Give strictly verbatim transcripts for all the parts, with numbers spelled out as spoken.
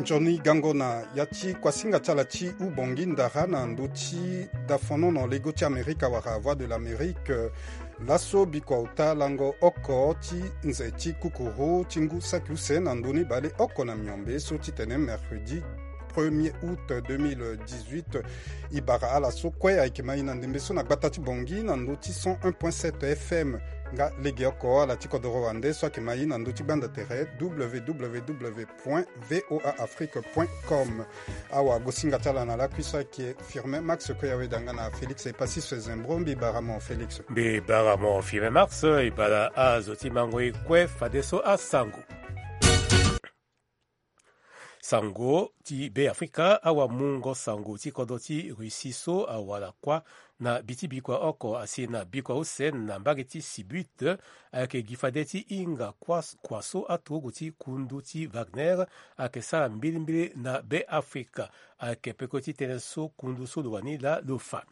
Nzoni gango na ya ti kuasinga ti ala ti ubongi ndara na ndö ti dafonono lego ti Amerika wala Voix de l'Amérique. Laso bikua ota lango oko ti nze ti kukuru ti ngu saki use na ndö ni baleoko na miombe so titene mercredi premier août deux mille dix-huit. E bara ala so kue ayeke ma e na ndembe so na gbata ti Bangui na ndö ti cent un point sept F M. Nga legeoko ala ti kodoro wande so ayeke ma e na ndö ti gbanda tere, W W W point voa afrique point com. Awagosinga ti ala na lakui so ayeke Firmin Max, kue aweda nga na Félix Epasis Zembro. Mbi bara mo Félix. Mbi bara mo Firmin Max. E bara azo ti mango e kue fadeso asango. Sango ti Beafrika. Awamungo sango ti kodro ti Russie so awara kuâ na bi ti bikua oko asi na bikua use na mbage ti Sibut, ayeke gi fade ti hinga kuâ, kua so aturugu ti kundu ti Wagner ayeke sara mbilimbili na Beafrika. Ayeke peko ti tënë so kundu so lo wani laa lo fa.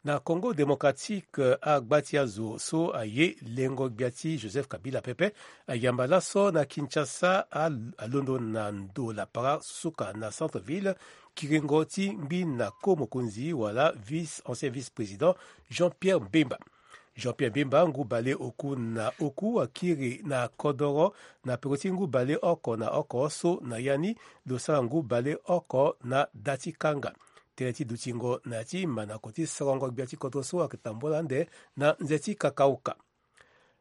Na Congo Démocratique, agba ti azo so aye lengo gbia ti Joseph Kabila pepe ayamba laso na Kinshasa, a, alondo na ndo lapara suka na centre-ville, kiringo ti ngbi na ko mokonzi wala vice, ancien vice-président Jean-Pierre Bemba. Jean-Pierre Bemba ngu baleoku na oku akiri na kodoro na peko ti ngu baleoko na oko so na ya ni lo sara ngu baleoko na da ti kanga. Tënë ti dutingo na ya ti manako ti sorongo gbia ti kodro so ayeke tambula ande na nze ti kakauka.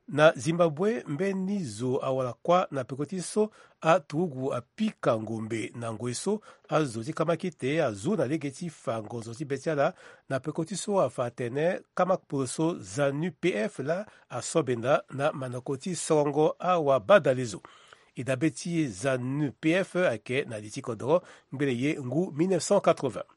Na Zimbabwe, mbeni zo awara kuâ na peko ti so aturugu apika ngombe na ngoi so azo ti kamakite azu na lege ti fa ngonzo ti be ti ala na peko ti so afa atene kamakporo so ZANU P F laa aso benda na manako ti sorongo awabadalezo. E dabe ti ZANU P F ayeke na li ti kodoro ngbene ye ngu mille neuf cent quatre-vingts.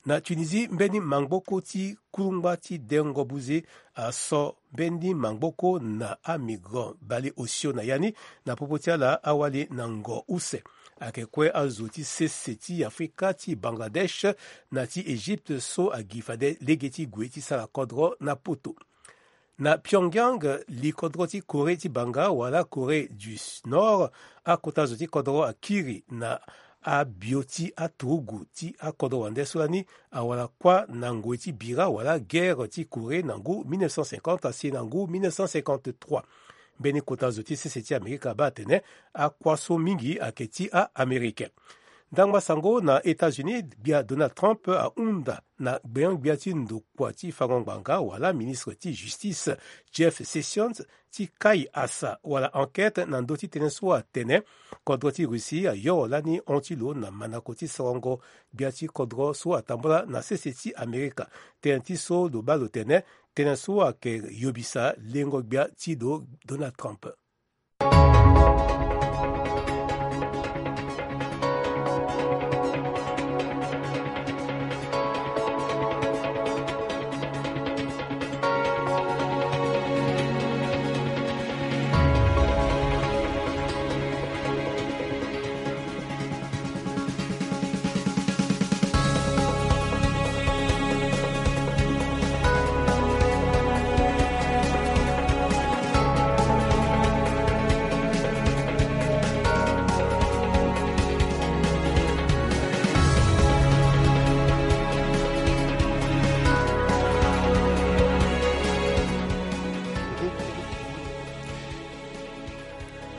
Na Tunisie, mbeni mangboko ti kulungba ti dengo buze aso mbeni mangboko na amigrant baleosio na ya ni. Na popo ti ala awali na ngo use. Ayeke kue azo ti sese ti Afrika, ti Bangladesh na ti Egypte so agi fade lege ti gue ti sara kodro na poto. Na Pyongyang, li kodro ti Corée ti banga wala Corée du Nord, akota zo ti kodro akiri na abio ti aturugu ti akodro wande so lani awara kuâ na ngoi ti bira wala guerre ti Corée na ngu mille neuf cent cinquante asi na ngu mille neuf cent cinquante-trois. Mbeni kota zo ti sese ti Amerika abaa atene akuâ so mingi ayeke ti a-Américain. Ndangba sango na États-Unis, gbia Donald Trump ahunda na gbenyo-gbia ti ndokua ti fango ngbanga wala ministre ti justice Jeff Sessions ti kai asa wala enquête na ndö ti tënë so atene kodro ti Russie ayoro lani hon ti lo na manako ti sorongo gbia ti kodro so atambula na sese ti Amerika. Tënë ti so lo baa lo tene tënë so ayeke yobisa lengo gbia ti lo Donald Trump.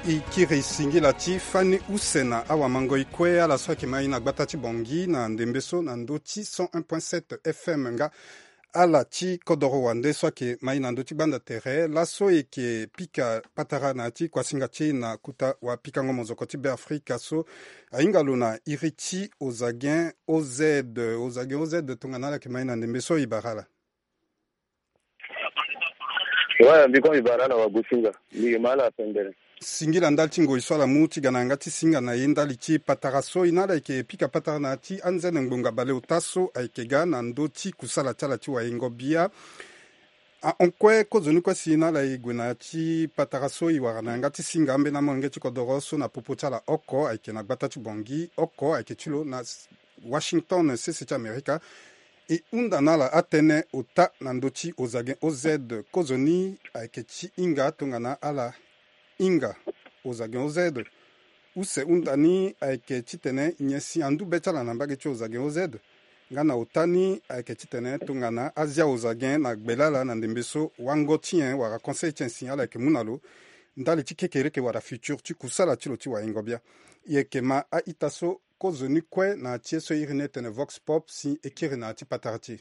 E kiri singila ti fani use na awamango e kue ala so ayeke ma e na gbata ti Bangui na ndembe so na ndö ti cent un point sept F M nga ala ti kodoro wande so ayeke ma e na ndö ti gbanda tere. Laso e yeke pika patara na ya ti kuasinga ti e na kota wapikango mozoko ti Beafrika so ahinga lo na iri ti Ozagen O Z. Ozagen O Z, tongana ala yeke ma e na ndembe so, e bara ala. Ouais, mbi kue mbi bara ala wagosinga. Mbi yeke ma ala pembere. Singila ndali ti ngoi so ala mu ti ga na yanga ti singa na e ndali ti patara so. E na ala yeke pika patara na ya ti anzene ngbonga baleota so ayeke ga na ndö ti kusala ti ala ti wayengo bia. Ahon kue kozoni kue si na ala e gue na ya ti patara so e wara na yanga ti singa ambeni amolenge ti kodoro so na popo ti ala oko ayeke na gbata ti Bangui, oko ayeke ti lo na Washington, sese ti Amerika. E hunda na ala atënë ota na ndö ti Ozagen O Z. Kozoni ayeke ti hinga tongana ala hinga Ozagen O Z. Use hunda ni ayeke titene nyen si andu be ti ala na mbage ti Ozagen O Z. Nga na ota ni ayeke titene tongana azia Ozagen na gbe lala na ndembe so wango ti nyen wala conseil ti nyen si ala yeke mu na lo ndali ti kekereke wala futur ti kusala ti lo ti waingo bia. E yeke ma a-ita so kozo ni kue na ti ye so e iri ni etene Vox Pop si e kiri na ya ti patara ti e.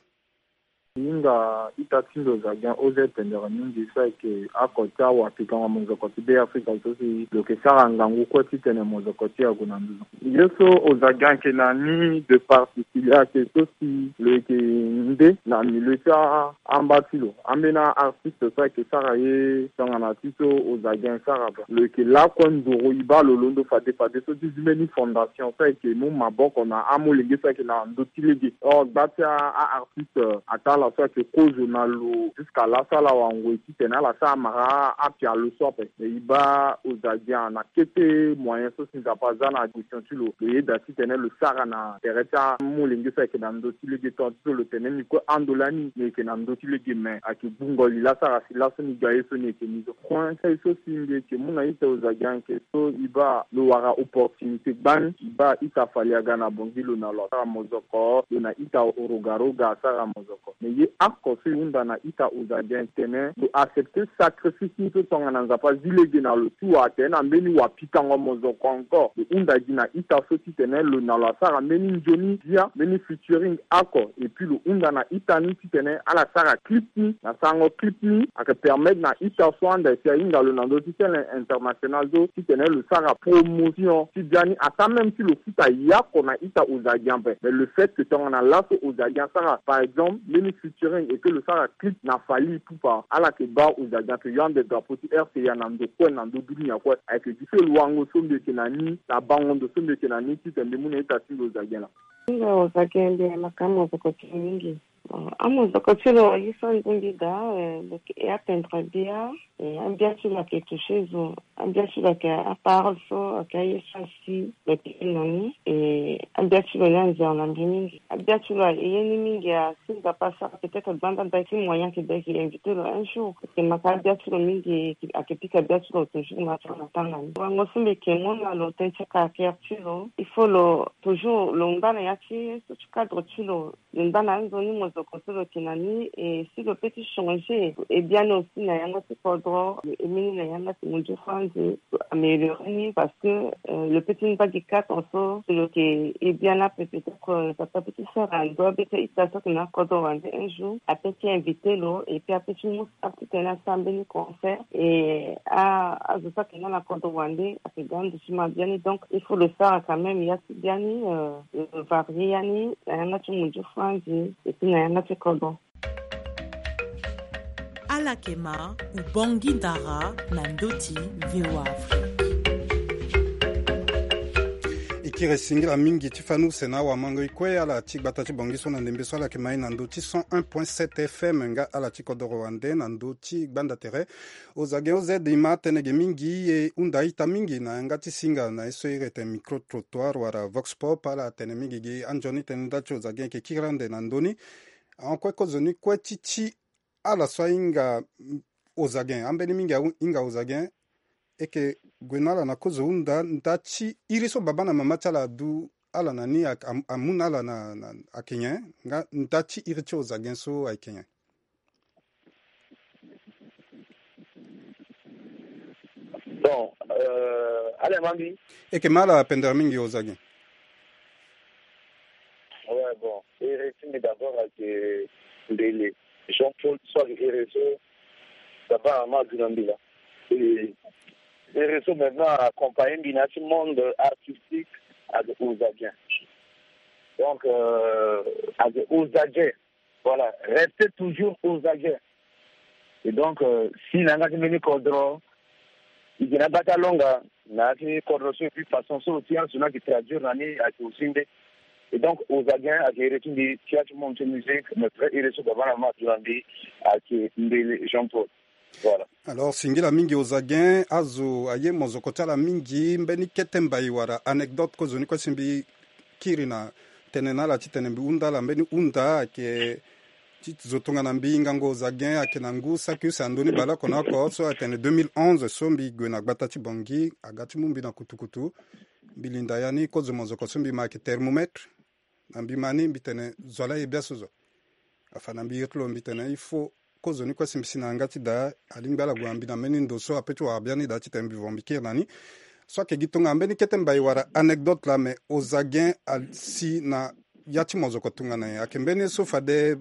Hinga ita ti ndo Ozagen O Z pendere mingi so ayeke oko ti awapikango mozoko ti Be Afrika so si lo yeke sara ngangu kue titene mozoko ti e ague na nduzu. Ye so Ozagen ayeke na ni de particulier ayeke so si lo yeke nde na milieu ti a- amba ti lo. Ambeni a-artiste so ayeke sara ye tongana ti so Ozagen sara ba. Lo yeke lakue nduru e baa lo londo fade fade so ti zi mbeni fondation so ayeke mu maboko na amolenge so ayeke na ndö ti lege. Or gba ti a- a-artiste, euh, ataa ala so ayeke kozo na lo jusqu'à laso ala wara ngoi titene ala sara mara apialo so ape. Mais e baa Ozagen na kete moyen so si Nzapa aza na question ti lo, lo yeda titene lo sara na tere ti amolenge so ayeke na ndö ti lege. Tonga ti so lo tene ni kue ando lani ni yeke na ndö ti lege, mais ayeke gbungo li laa sara si laso ni ga ye so ni yeke ni so. Point so si mbi yeke mu na ita Ozagen ayeke so e baa lo wara opportunité gbani. E baa ita Fally aga na Bangui, lo na lo asara mozoko, lo na ita Rogaroga asara mozoko. Mais ye oko so e hunda na ita Ozagen tene lo accepter sacrifice ni so tongana Nzapa azi lege na lo ti wara tene na mbeni wapikango mozoko encore. Lo hunda gi na ita so titene lo na lo asara mbeni nzoni bia, mbeni featuring oko. Et puis lo hunda na ita ni titene ala sara clip ni. Na sarango clip ni ayeke permettre na ita so anda si ahinga lo na ndö ti scène internationale so titene lo sara promotion ti bia ni, ata même si lo futa yako na ita Ozagen ape. Mais le fait que tongana laso Ozagen asara par exemple mbeni featuring et que lo sara clip na Fally Ipupa, ala yeke baa Ozagen ayeke yo ande drapeau ti R C A na ndo kue na ndö dunia kue. Ayeke gi so lo wango so mbi yeke na ni na bango ndo so mbi yeke na ni titene mbi mu na ita ti ndo Ozagen laa. Nga Ozagen mbi na maka amozoko ti lo mingi. Bon, amozoko ti lo aye so anzoni mbi daa, eh, lo yeke atteindre bia. Eh, ambia ti lo ayeke toucher zo. Ambia ti lo ayeke aparole so ayeke aye so asi lo yeke na ni. Eh, ambia ti lo ni anzere na mbi mingi. Abia ti lo aye ni mingi asi Nzapa asara peut-être gbanda daa ti moyen ayeke daa ayeke invité lo un jour. Ayeke maka abia ti lo mingi, ayeke pika abia ti lo toujours na tanga na tanga ni. Wango so mbi yeke mu na lo tënë ti caractère ti lo, il faut lo toujours lo ngba na ya ti ye so ti cadre ti lo. Lo ngba na anzoni mozoko so lo yeke na ni, e si lo peut ti changer e biani aussi na yanga ti kodro, lo aimé ni na yanga ti munzu franzi, lo améliorer ni parce que, euh, lo peut ti ngba gi quatre ans so, si lo yeke e biani ape peut-être, euh, Nzapa peut ti sara ndo abe ti a-ita so ayeke na akodro wande un jour, apeut ti inviter lo, et puis apeut ti mu star titene asara mbeni concert, et a, azo so ayeke na na kodro wande ayeke ga ndo ti ma biani, donc il faut lo sara quand même ya ti biani, euh, lo varier ya ni na yanga ti munzu franzi, et puis na yanga ti kodro. Ala yeke ma, Ubongi Ndara na ndö ti V O A Afrique. E kiri singila mingi ti fani use na awamango e kue ala ti gbata ti Bangui so na ndembe so ala yeke ma e na ndö ti cent un point sept F M nga ala ti kodoro wande na ndö ti gbanda tere. Ozagen oz e ma atënë ge mingi e hunda a-ita mingi na yanga ti singa na ye so iri ete micro trottoir wala vox pop, ala tene mingi gi anzoni tënë ndali ti Ozagen e yeke kiri ande na ndö ni. Ahon kue kozoni kue ti ti ala so ahinga, mm, Ozagen, ambeni mingi ahinga Ozagen, e yeke gue na ala na kozo hunda nda ti iri so baba na mama ti ala adu ala na ni, a, a, amu na ala na, na, ayeke nyen? Nga nda ti iri ti Ozagen so ayeke nyen? Bon, euh, ala ma mbi. E yeke ma ala pendere mingi Ozagen. Ouais, bon. Iri ti mbi d'abord ayeke mbele Jean-Paul so ayeke iri so baba na mama adu na mbi laa. Et iri so maintenant accompagner mbi na ya ti monde artistique ayeke Ozagen. Donc, euh, ayeke Ozagen. Voilà, rester toujours aux aguets. Et donc, euh, si na yanga ti mbeni kodro, e yeke na gba ti alonga na ya ti kodro so, et puis façon so lo ti azo ni ayeke traduire na ni ayeke aussi nde. Et donc, Ozagen ayeke iri ti mbi ti ya ti monde ti musique, mais vrai iri so baba na mama adu na mbi ayeke mbele Jean-Paul. Voilà. Alors, singila mingi Ozagen, azo aye mozoko ti ala mingi, mbeni kete mbai wala anecdote kozoni kue si mbi kiri na tënë na ala titene mbi hunda ala, mbeni hunda ayeke Ti zo tongana mbi ngango Ozagen ayeke na ngu saki use na ndö ni baleoko na oko so atene deux mille onze so mbi gue na gbata ti Bangui aga ti mu mbi na kutukutu. Mbi linda ya ni kozo mozoko so mbi ma ayeke thermomètre. Na mbi ma ni mbi tene zo ala ye biaso zo. Afa na mbi iri ti lo mbi tene il faut kozo ni kue si mbi si na yanga ti daa alingbi ala gue na mbi na mbeni ndo so ape ti wara biani daa titene mbi vo mbi kiri na ni. So ayeke gi tongana mbeni kete mbai wala anecdote laa me Ozagen asi na ya ti mozoko tongana nyen? Ayeke mbeni ye so fade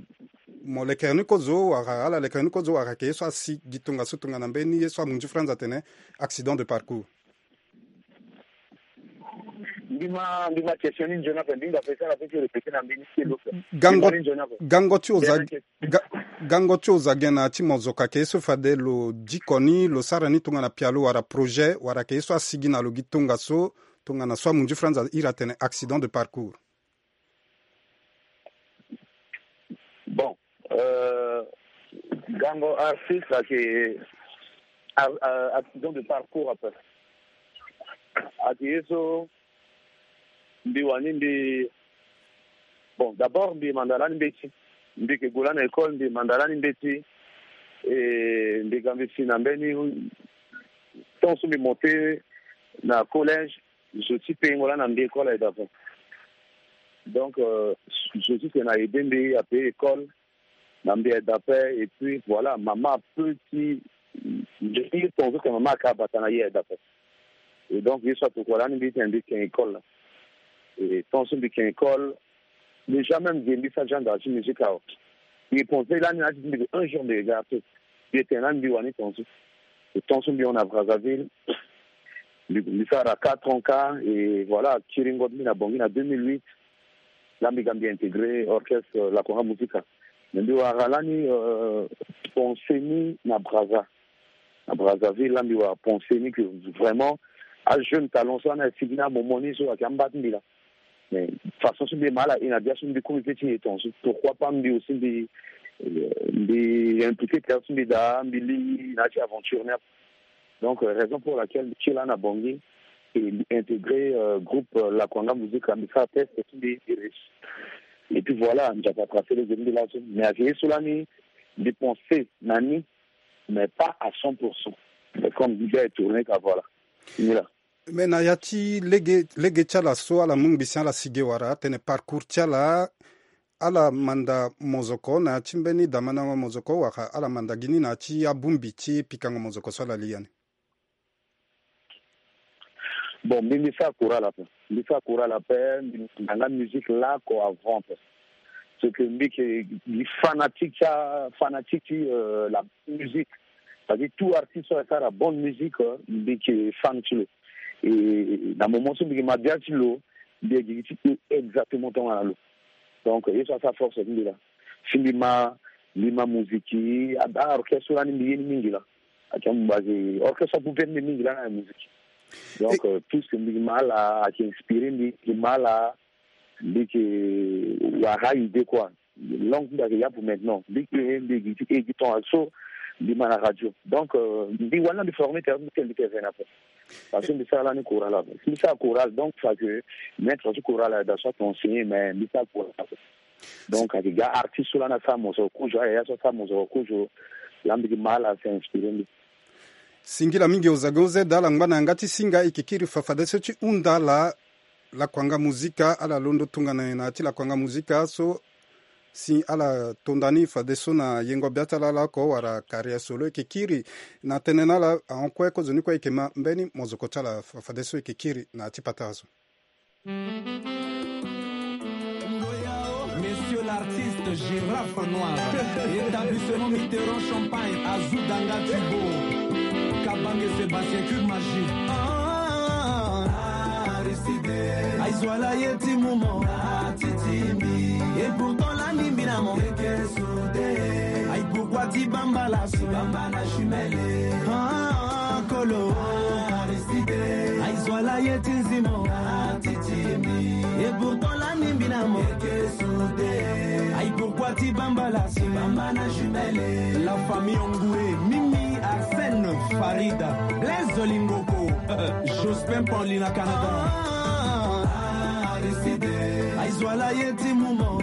mo lekere ni kozo wala ala lekere ni kozo wala ayeke ye so asi gi tongaso tongana mbeni ye so amunzu franz atene accident de parcours? Ndima ndima question ni nzoni ape ndinga ape sara ape ti répéter na mbeni ti lo. Gango ti oza ga- gango ti oza gena ti mozoka ke so fade lo diko ni lo sara ni tongana pialo wala projet wala ke so asigi na lo gi tongaso tongana so amunzu franz iri atene accident de parcours. Bon, euh, gango artiste ake accident de parcours ape ake ye so mbi wani mbi bon d'abord mbi manda lani mbeti mbi ke gue lani na école mbi manda lani mbeti. E mbi ga mbi si na mbeni temps so mbi monte na collège zo ti pengo lani na mbi école aye d'abord. Donc euh, zo ti tena aide mbi ape école na mbi aye d'après et puis voilà mama ape ti nzoni ye tongaso tena mama aka abata na ye aye d'après. Et donc ye so atokua lani mbi tena mbi ken école la. Et tant so mbi ken école déjà même ge mbi sa genre ti musique awa. Mbi pense lani na ti mbi un jour mbi ga te. Mbi tena lani mbi wani tongaso. Et tant so mbi hon na Brazzaville mbi sara quatre ans kâ. Et voilà kiringo ti mbi na Bangui na deux mille huit. Laa mbi ga mbi intégrer orchestre Lakwanga Musica. Mais mbi wara lani pense ni na Brazza na Brazzaville laa mbi wara pense ni que vraiment ajeune talent so ana asigi na amomo ni so ayeke amba ti mbi laa. Mais façon so mbi ma ala e na bia so mbi komi pe ti nyen tongaso pourquoi pas mbi aussi mbi mbi impliquer tere so mbi daa mbi li na ya ti aventure ni ape. Donc raison pour laquelle mbi ti laa na Bangui et mbi intégrer groupe Lakwanga Musica mbi sara test ti mbi mbi réussi. Et puis voilà Nzapa a tracé lege ti mbi laso mais ayeke ye so lani mbi pense na ni mais pas à cent pour cent. Mais comme mbi ga e tourner ka voilà. Ni laa. Mais na ya ti lege lege ti ala so ala mu ngbisi ala si ge wala atene parcours ti ala ala manda mozoko na ya ti mbeni damandango mozoko wala ala manda gi ni na ya ti abongbi ti pikango mozoko so ala li ya ni. Bon mbi mbi sara courant la pe mbi sara courant la pe mbi manda nga musique lako avant pe. Ce que mbi ke gi fanatique ti fanatique ti la musique. Parce que tout artiste so asara bonne musique mbi ke fan ti lo. Et na moment so mbi ke ma bia ti lo mbi agi gi ti e exactement tongana lo. Donc ye so asara force ti mbi la si mbi ma mbi ma musique a orchestre so lani mbi ye ni mingi la. Ake mbazi orchestre apupe mbi mingi la na musique. Donc tout ce que mbi ma ala ake inspiré mbi mbi ma ala mbi ke wara idée quoi. Langue mbi ake ya pour maintenant mbi ke mbi gi ti e gi temps so mbi ma na radio. Donc mbi wani na mbi former tere mbi ke mbi ke vena pe. Parce que mbi sara lani chorale ape si mbi sara chorale donc fa que maître ti chorale aye da so ake enseigné mais mbi sara chorale ape. Donc ake ga artiste so lani asara mosoro kozo aye ya so asara mosoro kozo. Laa mbi gi ma ala ake inspiré mbi. Singila mingi ozage ozeda ala ngba na yanga ti singa e ke kiri fa fadeso ti hunda ala. Lakwanga musica ala londo tongana nyen na ya ti lakwanga musica so si ala tonda ni fadeso na yengo bia ti ala ala oko wala carrière solo e ke kiri. Na tënë na ala ahon kue kozoni kue e ke ma mbeni mozoko ti ala fadeso e ke kiri na ya ti patara so. Monsieur l'artiste Gérard Fanoir, établissement Mitterrand Champagne, Azou Danga Tubo, Kabange Sébastien Cube Magie. Ah, Aristide, aizwala ye ti mumo, atitimi, et pourtant la nimbi na mo. Aïe pourquoi ti bamba la so bamba na jumelle. Ah, kolo, Aristide, aizwala ye ti nzimo, atitimi, et pourtant la nimbi na mo. Aïe pourquoi ti bamba la so bamba na jumelle. La famille Ongoué, Mimi, Arsène, Farida, Blaise Lingoko, Jospin Paulina Canada. Ah, Aristide, aizwala ye ti mumo.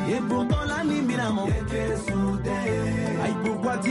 Et pourtant la nuit, mi na mo. Aïe, pourquoi tu